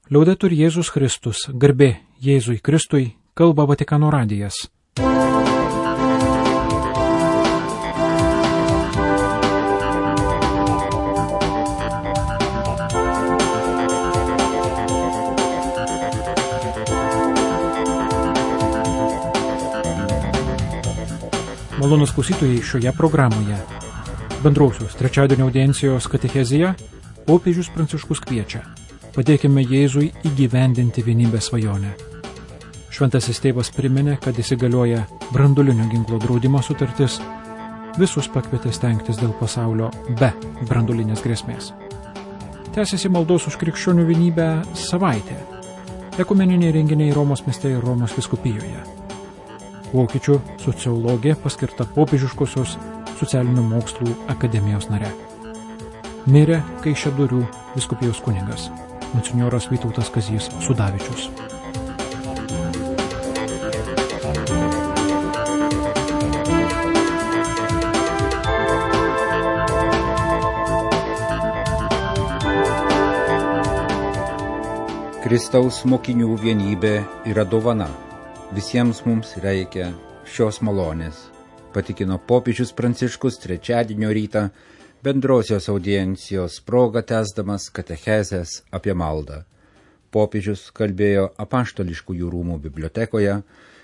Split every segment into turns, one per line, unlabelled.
Liaudetur Jėzus Kristus, garbė Jėzui Kristui, kalba Vatikano radijas. Malonūs klausytojai, šioje programoje bendrausios trečiadienio audiencijos katechezija popiežius Pranciškus kviečia: padėkime Jėzui įgyvendinti vienybės svajonę. Šventasis tėvas priminė, kad įsigalioja branduolinio ginklo draudimo sutartis, visus pakvietė stengtis dėl pasaulio be branduolinės grėsmės. Tęsiasi maldos už krikščionių vienybę savaitė. Ekumeniniai renginiai Romos mieste ir Romos vyskupijoje. Vokiečių sociologė paskirta popiežiškosios socialinių mokslų akademijos nare. Mirė Kaišiadorių vyskupijos kunigas, monsinjoras Vytautas Kazys Sudavičius.
Kristaus mokinių vienybė yra dovana. Visiems mums reikia šios malonės, patikino popiežius Pranciškus trečiadienio rytą bendrosios audiencijos proga tęsdamas katechezės apie maldą. Popiežius kalbėjo Apaštališkųjų rūmų bibliotekoje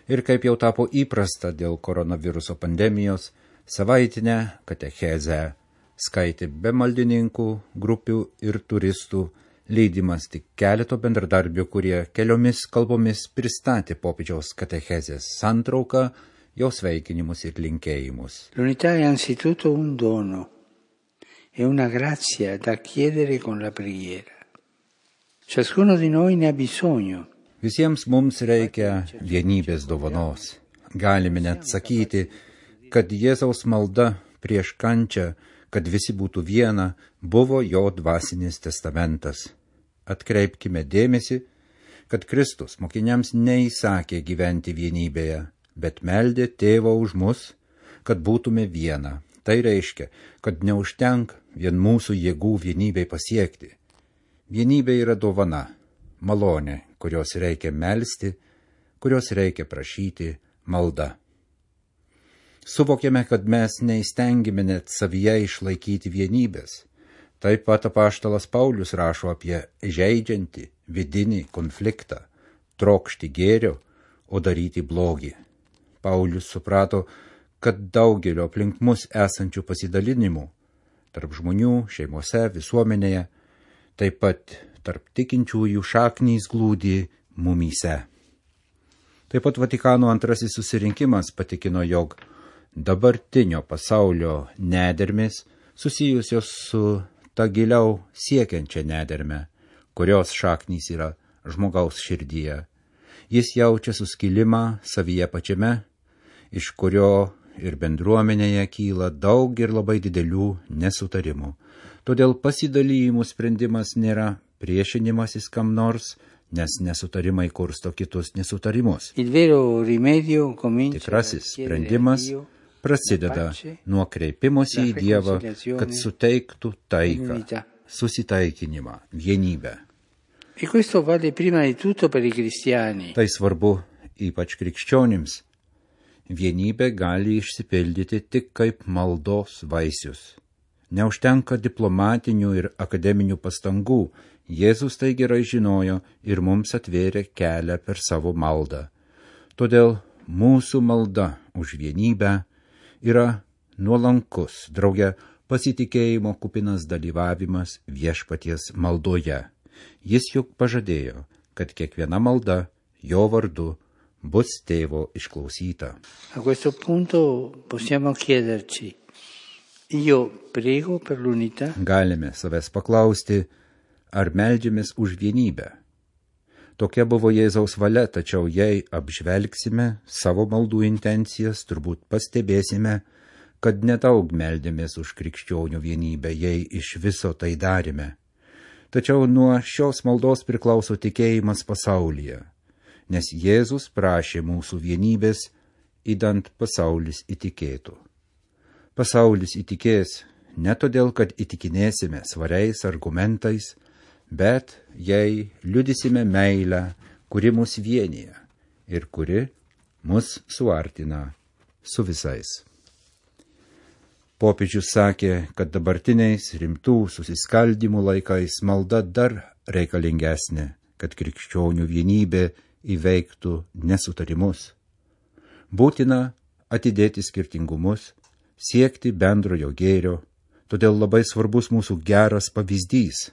ir, kaip jau tapo įprasta dėl koronaviruso pandemijos, savaitinę katechezę skaitė be maldininkų, grupių ir turistų, leidimas tik keleto bendradarbių, kurie keliomis kalbomis pristatė popiežiaus katechezės santrauką, jo sveikinimus ir linkėjimus.
L'unità è anzitutto un dono e una grazia da chiedere con la preghiera. Ciascuno di noi ne ha bisogno.
Visiems mums reikia vienybės dovanos. Galime net sakyti, kad Jėzaus malda prieš kančią, kad visi būtų viena, buvo jo dvasinis testamentas. Atkreipkime dėmesį, kad Kristus mokiniams neįsakė gyventi vienybėje, bet meldė Tėvą už mus, kad būtume viena. Tai reiškia, kad neužtenka vien mūsų jėgų vienybei pasiekti. Vienybė yra dovana, malonė, kurios reikia melsti, kurios reikia prašyti, malda. Suvokėme, kad mes neįstengėme net savyje išlaikyti vienybės. Taip pat apaštalas Paulius rašo apie žeidžiantį vidinį konfliktą, trokšti gėrio, o daryti blogį. Paulius suprato, kad daugelio aplink mus esančių pasidalinimų, tarp žmonių, šeimose, visuomenėje, taip pat tarp tikinčiųjų šaknys glūdi mumyse. Taip pat Vatikano antrasis susirinkimas patikino, jog dabartinio pasaulio nedermės susijusios su ta giliau siekiančia nederme, kurios šaknys yra žmogaus širdyje. Jis jaučia suskilimą savyje pačiame, iš kurio ir bendruomenėje kyla daug ir labai didelių nesutarimų. Todėl pasidalijimų sprendimas nėra priešinimasis kam nors, nes nesutarimai kursto kitus nesutarimus. Tikrasis sprendimas prasideda nuo kreipimosi į Dievą, kad suteiktų taiką, susitaikinimą, vienybę. Tai svarbu ypač krikščionims. Vienybė gali išsipildyti tik kaip maldos vaisius. Neužtenka diplomatinių ir akademinių pastangų. Jėzus tai gerai žinojo ir mums atvėrė kelią per savo maldą. Todėl mūsų malda už vienybę yra nuolankus, drauge pasitikėjimo kupinas dalyvavimas viešpaties maldoje. Jis juk pažadėjo, kad kiekviena malda jo vardu bus Tėvo išklausyta.
A questo punto possiamo chiederci: io prego per l'unità?
Galime savęs paklausti, ar meldžiamės už vienybę. Tokia buvo Jėzaus valia, tačiau jei apžvelgsime savo maldų intencijas, turbūt pastebėsime, kad nedaug meldėmės už krikščionių vienybę, jei iš viso tai darėme. Tačiau nuo šios maldos priklauso tikėjimas pasaulyje, nes Jėzus prašė mūsų vienybės, idant pasaulis įtikėtų. Pasaulis įtikės ne todėl, kad įtikinėsime svariais argumentais, bet jei liudysime meilę, kuri mus vienyje ir kuri mus suartina su visais. Popiežius sakė, kad dabartiniais rimtų susiskaldymų laikais malda dar reikalingesnė, kad krikščionių vienybė įveiktų nesutarimus. Būtina atidėti skirtingumus, siekti bendrojo gėrio, todėl labai svarbus mūsų geras pavyzdys.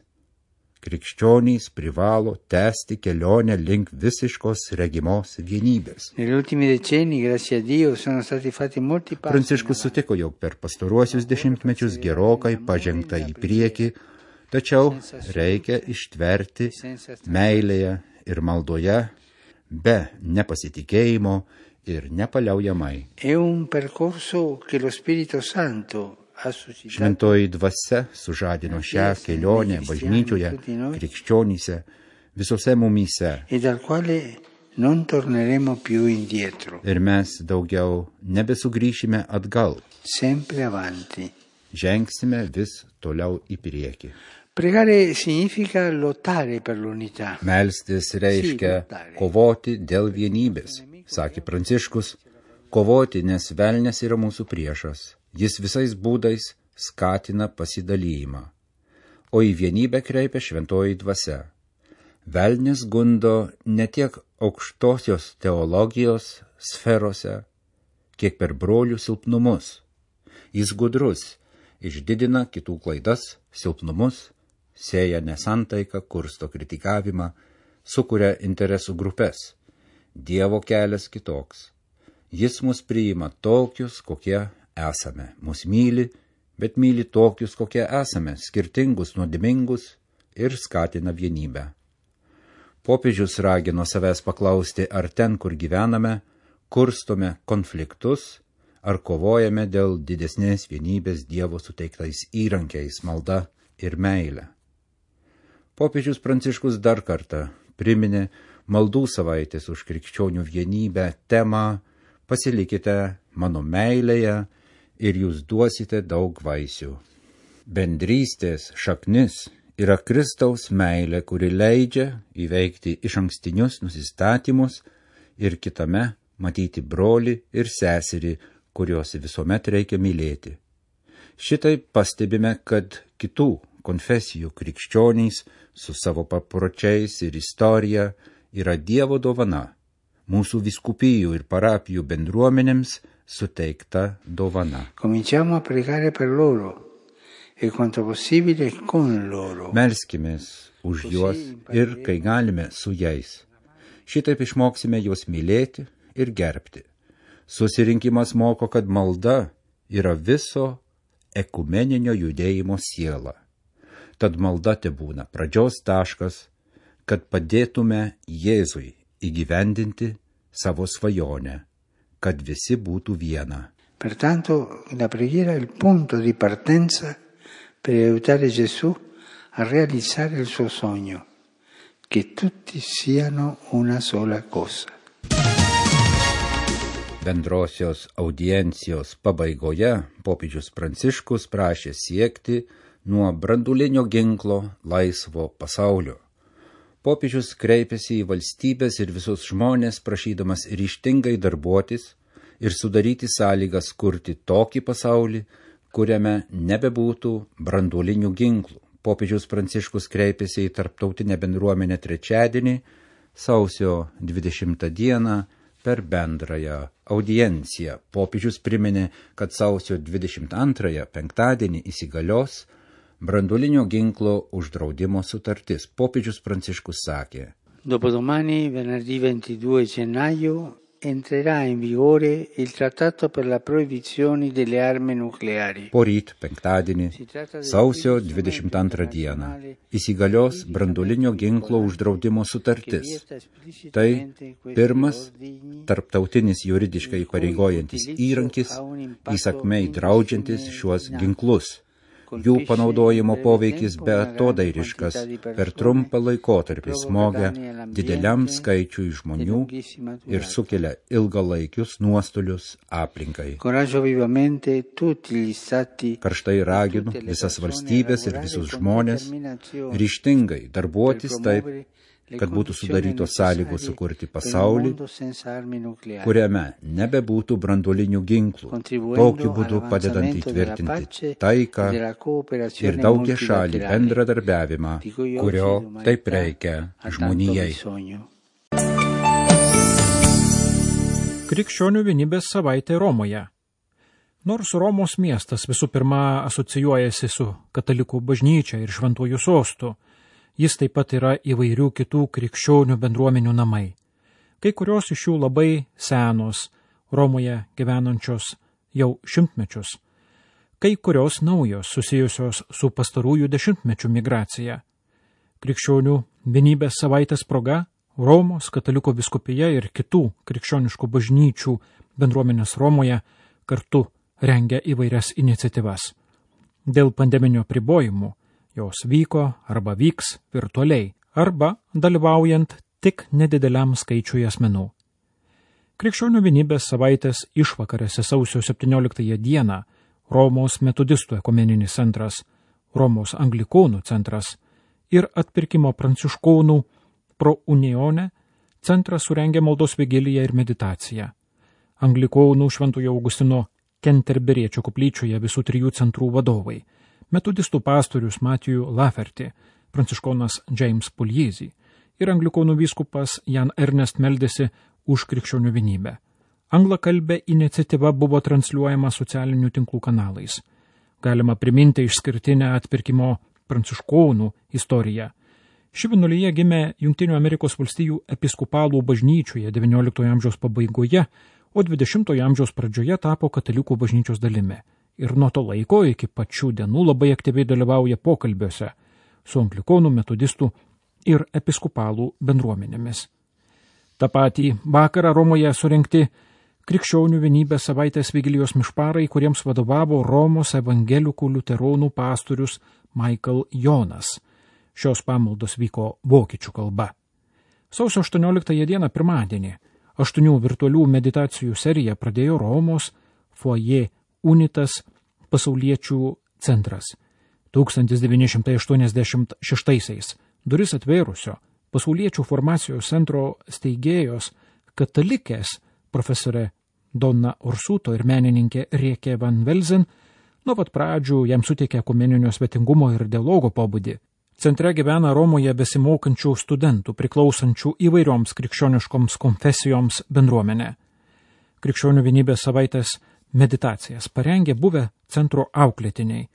Krikščionys privalo tęsti kelionę link visiškos regimos vienybės. Pranciškus sutiko, jog per pastaruosius dešimtmečius gerokai pažengta į priekį, tačiau reikia ištverti meilėje ir maldoje be nepasitikėjimo ir nepaliaujamai. Šventoji dvasia sužadino šią kelionę bažnyčioje, krikščionyse, visose mumyse. Ir mes daugiau nebesugrįšime atgal. Žengsime vis toliau į priekį. Melstis reiškia kovoti dėl vienybės, sakė Pranciškus. Kovoti, nes velnias yra mūsų priešas. Jis visais būdais skatina pasidalijimą, o į vienybę kreipia šventoji dvasia. Velnias gundo ne tiek aukštosios teologijos sferose, kiek per brolių silpnumus. Jis gudrus, išdidina kitų klaidas, silpnumus, sėja nesantaiką, kursto kritikavimą, sukuria interesų grupės. Dievo kelias kitoks. Jis mus priima tokius, kokie esame. Mus myli, bet myli tokius, kokie esame, skirtingus, nuodėmingus ir skatina vienybę. Popiežius ragino savęs paklausti, ar ten, kur gyvename, kurstome konfliktus, ar kovojame dėl didesnės vienybės Dievo suteiktais įrankiais, malda ir meilė. Popiežius Pranciškus dar kartą priminė maldų savaitės už krikščionių vienybę temą "Pasilikite mano meilėje ir jūs duosite daug vaisių". Bendrystės šaknis yra Kristaus meilė, kuri leidžia įveikti išankstinius nusistatymus ir kitame matyti brolį ir seserį, kuriuos visuomet reikia mylėti. Šitai pastebime, kad kitų konfesijų krikščionys su savo papročiais ir istorija yra Dievo dovana, mūsų vyskupijų ir parapijų bendruomenėms suteikta dovana. Melskimės už juos ir kai galime su jais. Šitaip išmoksime juos mylėti ir gerbti. Susirinkimas moko, kad malda yra viso ekumeninio judėjimo siela. Tad malda tebūna pradžios taškas, kad padėtume Jėzui įgyvendinti savo svajonę, kad visi būtų viena.
Pertanto, la preghiera è il punto di partenza per aiutare Gesù a realizzare il suo sogno, che tutti siano una sola cosa.
Bendrosios audiencijos pabaigoje popiežius Pranciškus prašė siekti nuo branduolinio ginklo laisvo pasaulio. Popiežius kreipėsi į valstybės ir visus žmonės, prašydamas ryžtingai darbuotis ir sudaryti sąlygas kurti tokį pasaulį, kuriame nebebūtų branduolinių ginklų. Popiežius Pranciškus kreipėsi į tarptautinę bendruomenę trečiadienį, sausio 20 dieną, per bendrąją audienciją. Popiežius priminė, kad sausio 22 penktadienį įsigalios branduolinio ginklo uždraudimo sutartis. Popiežius Pranciškus sakė:
Dopodomani, venerdì 22 gennaio, entrerà in vigore il trattato per la proibizione delle armi nucleari.
Poryt, penktadienį, sausio 22 dieną, įsigalios branduolinio ginklo uždraudimo sutartis. Tai pirmas tarptautinis juridiškai įpareigojantis įrankis, įsakmiai draudžiantis šiuos ginklus. Jų panaudojimo poveikis beatodairiškas, per trumpą laikotarpį smogia dideliam skaičiui žmonių ir sukelia ilgalaikius nuostolius aplinkai. Karštai raginu visas valstybės ir visus žmonės ryžtingai darbuotis taip, kad būtų sudarytos sąlygos sukurti pasaulį, kuriame nebebūtų branduolinių ginklų, tokiu būdu padedant įtvirtinti taiką ir daugiašalį bendradarbiavimą, kurio taip reikia žmonijai.
Krikščionių vienybės savaitė Romoje. Nors Romos miestas visų pirma asocijuojasi su katalikų bažnyčia ir šventuoju sostu, jis taip pat yra įvairių kitų krikščionių bendruomenių namai. Kai kurios iš jų labai senos, Romoje gyvenančios jau šimtmečius, kai kurios naujos susijusios su pastarųjų dešimtmečių migracija. Krikščionių vienybės savaitės proga Romos katalikų vyskupija ir kitų krikščioniškų bažnyčių bendruomenės Romoje kartu rengia įvairias iniciatyvas. Dėl pandeminio apribojimų jos vyko arba vyks virtualiai, arba dalyvaujant tik nedideliam skaičiui asmenų. Krikščionių vienybės savaitės išvakarėse sausio 17 dieną Romos metodistų ekumeninis centras, Romos anglikonų centras ir atpirkimo pranciškonų Pro Unione centras surengė maldos vigiliją ir meditaciją. Anglikonų Šventojo Augustino Kenterberiečio koplyčioje visų trijų centrų vadovai, metodistų pastorius Matthew Lafferty, pranciškonas James Pugliese ir anglikonų vyskupas Jan Ernest meldėsi už krikščionių vienybę. Anglakalbė iniciatyva buvo transliuojama socialinių tinklų kanalais. Galima priminti išskirtinę atpirkimo pranciškonų istoriją. Ši vienuolija gimė Jungtinių Amerikos valstijų episkopalų bažnyčioje XIX amžiaus pabaigoje, o XX amžiaus pradžioje tapo katalikų bažnyčios dalimi. Ir nuo to laiko iki pačių dienų labai aktyviai dalyvauja pokalbiuose su anglikonų, metodistų ir episkopalų bendruomenėmis. Ta patį vakarą Romoje surengti Krikščionių vienybės savaitės vigilijos mišparai, kuriems vadovavo Romos evangelikų liuteronų pastorius Michael Jonas. Šios pamaldos vyko vokiečių kalba. Sausio 18 dieną pirmadienį 8 virtualių meditacijų seriją pradėjo Romos Foyer Unitas pasauliečių centras. 1986 duris atvėrusio pasauliečių formacijos centro steigėjos katalikės profesorė Donna Orsuto ir menininkė Rieke Van Velzen nuo pat pradžių jam suteikė ekumeninio svetingumo ir dialogo pobūdį. Centre gyvena Romoje besimokančių studentų, priklausančių įvairioms krikščioniškoms konfesijoms bendruomenė. Krikščionių vienybės savaitės meditacijas parengė buvę centro auklėtiniai,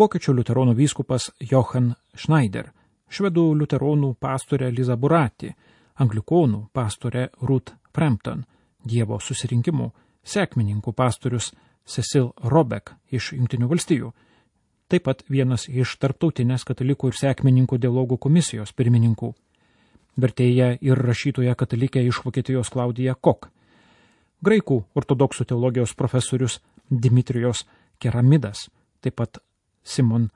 vokiečių liuteronų vyskupas Johann Schneider, švedų liuteronų pastorė Liza Burati, anglikonų pastorė Ruth Frampton, Dievo susirinkimų sekmininkų pastorius Cecil Robeck iš Jungtinių valstijų, taip pat vienas iš tarptautinės katalikų ir sekmininkų dialogų komisijos pirmininkų, vertėja ir rašytoja katalikė iš Vokietijos Klaudija Kok, graikų ortodoksų teologijos profesorius Dimitrijos Keramidas, taip pat Simon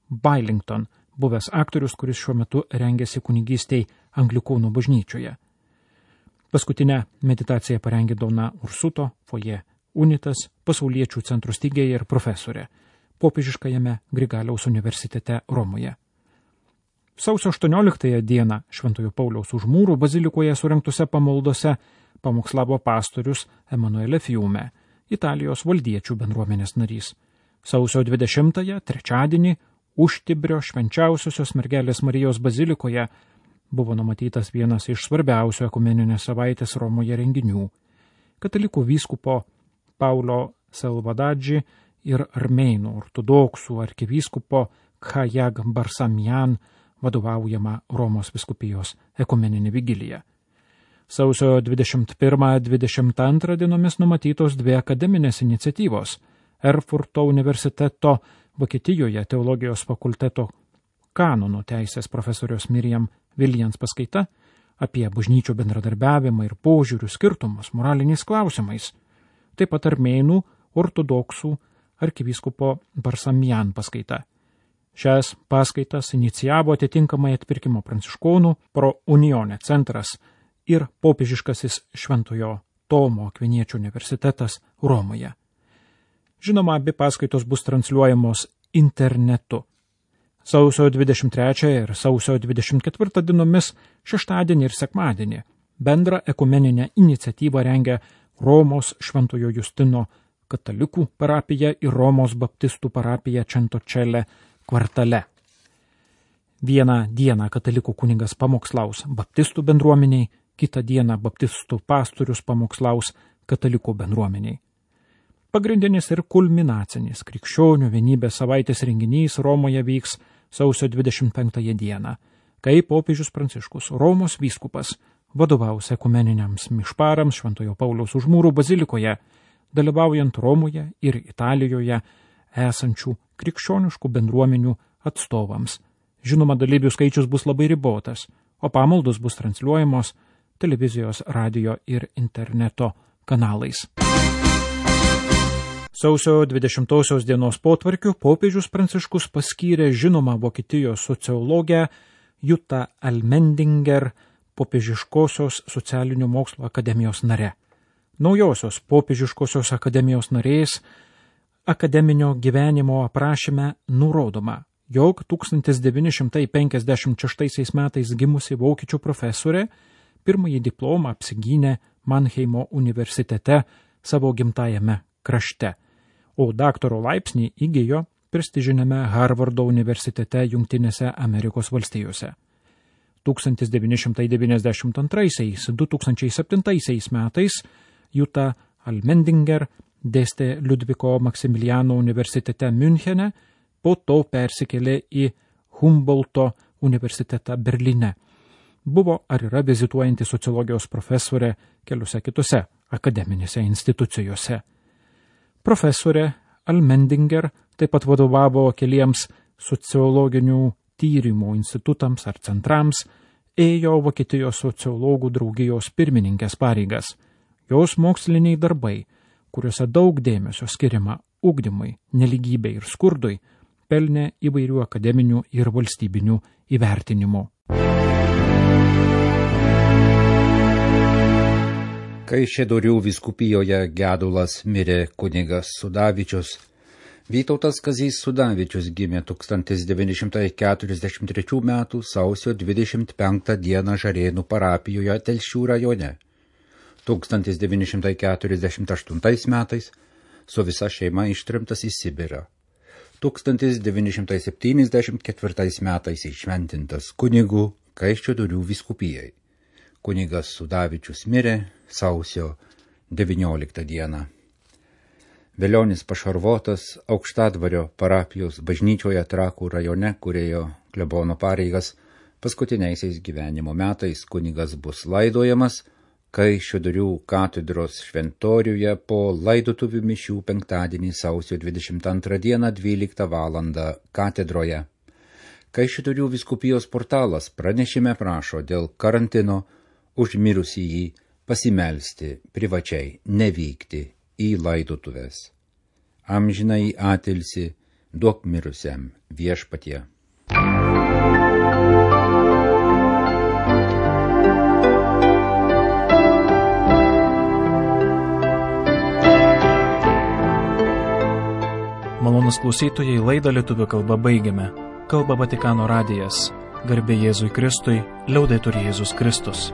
Bailington, buvęs aktorius, kuris šiuo metu rengiasi kunigystei anglikonų bažnyčioje. Paskutinę meditaciją parengė Donna Ursuto, Foyer Unitas, pasauliečių centro steigėja ir profesorė, popiežiškajame Grigaliaus universitete Romoje. Sausio 18 dieną Šventojo Pauliaus už mūrų bazilikoje surengtose pamaldose pamokslavo pastorius Emanuele Fiume, Italijos valdiečių bendruomenės narys. Sausio 20-ąją, trečiadienį, Užtibrio švenčiausiosios mergelės Marijos bazilikoje buvo numatytas vienas iš svarbiausių ekumeninės savaitės Romoje renginių. Katalikų vyskupo Paulo Salvadadži ir armėnų ortodoksų arkivyskupo Khajag Barsamian vadovaujama Romos vyskupijos ekumeninė vigilija. Sausio 21-22 dienomis numatytos dvi akademinės iniciatyvos – Erfurto universiteto Vokietijoje teologijos fakulteto kanonų teisės profesorius Miriam Viljans paskaita apie bažnyčių bendradarbiavimą ir požiūrių skirtumus moraliniais klausimais, taip pat armėnų ortodoksų arkivyskupo Barsamian paskaita Šias paskaitas inicijavo atitinkamai atpirkimo pranciškonų Pro Unione centras ir popiežiškasis Šventojo Tomo Akviniečio universitetas Romoje. Žinoma, abi paskaitos bus transliuojamos internetu. Sausio 23 ir sausio 24 dienomis, šeštadienį ir sekmadienį, bendrą ekumeninę iniciatyvą rengia Romos Šventojo Justino katalikų parapija ir Romos baptistų parapija Centocelle kvartale. Vieną dieną katalikų kunigas pamokslaus baptistų bendruomeniai, kitą dieną baptistų pastorius pamokslaus katalikų bendruomeniai. Pagrindinis ir kulminacinis krikščionių vienybės savaitės renginys Romoje vyks sausio 25 dieną, kai popiežius Pranciškus, Romos vyskupas, vadovaus ekumeniniams mišparams Šventojo Pauliaus už Mūrų bazilikoje, dalyvaujant Romoje ir Italijoje esančių krikščioniškų bendruomenių atstovams. Žinoma, dalyvių skaičius bus labai ribotas, o pamaldos bus transliuojamos televizijos, radio ir interneto kanalais. Sausio 20 dienos potvarkiu popiežius Pranciškus paskyrė žinomą Vokietijos sociologę Jutą Almendinger popiežiškosios socialinių mokslo akademijos nare. Naujosios popiežiškosios akademijos narės akademinio gyvenimo aprašyme nurodoma, jog 1956 metais gimusi vokiečių profesorė pirmąjį diplomą apsigynė Mannheimo universitete savo gimtajame krašte, o daktaro laipsnį įgijo prestižiniame Harvardo universitete Jungtinėse Amerikos valstijose. 1992–2007 metais Juta Almendinger dėstė Liudviko Maksimiliano universitete Münchene, po to persikėlė į Humboldto universitetą Berlyne. Buvo ar yra vizituojanti sociologijos profesorė keliose kitose akademinėse institucijose. Profesorė Almendinger taip pat vadovavo keliems sociologinių tyrimų institutams ar centrams, ėjo Vokietijos sociologų draugijos pirmininkės pareigas. Jos moksliniai darbai, kuriuose daug dėmesio skiriama ugdymui, nelygybei ir skurdui, pelnė įvairių akademinių ir valstybinių įvertinimų.
Kaišiadorių vyskupijoje gedulas mirė kunigas Sudavičius. Vytautas Kazys Sudavičius gimė 1943 m. sausio 25 d. Žarėnų parapijoje Telšių rajone. 1948 metais su visa šeima ištremtas į Sibirą. 1974 metais įšventintas kunigu Kaišiadorių vyskupijai. Kunigas Sudavičius mirė sausio 19 d. Velionis pašarvotas Aukštadvario parapijos bažnyčioje Trakų rajone, kurėjo klebono pareigas, paskutiniaisiais gyvenimo metais kunigas bus laidojamas Kaišiadorių katedros šventoriuje po laidotuvių mišių penktadienį sausio 22 d. 12 val. Katedroje. Kaišiadorių vyskupijos portalas pranešime prašo dėl karantino už mirusįjį pasimelsti privačiai, nevykti į laidotuvės. Amžinai atilsi, duok mirusiam viešpatie.
Malonūs klausytojai, laidą lietuvių kalba baigiame. Kalba Vatikano radijas. Garbė Jėzui Kristui, liaudetur Jėzus Kristus.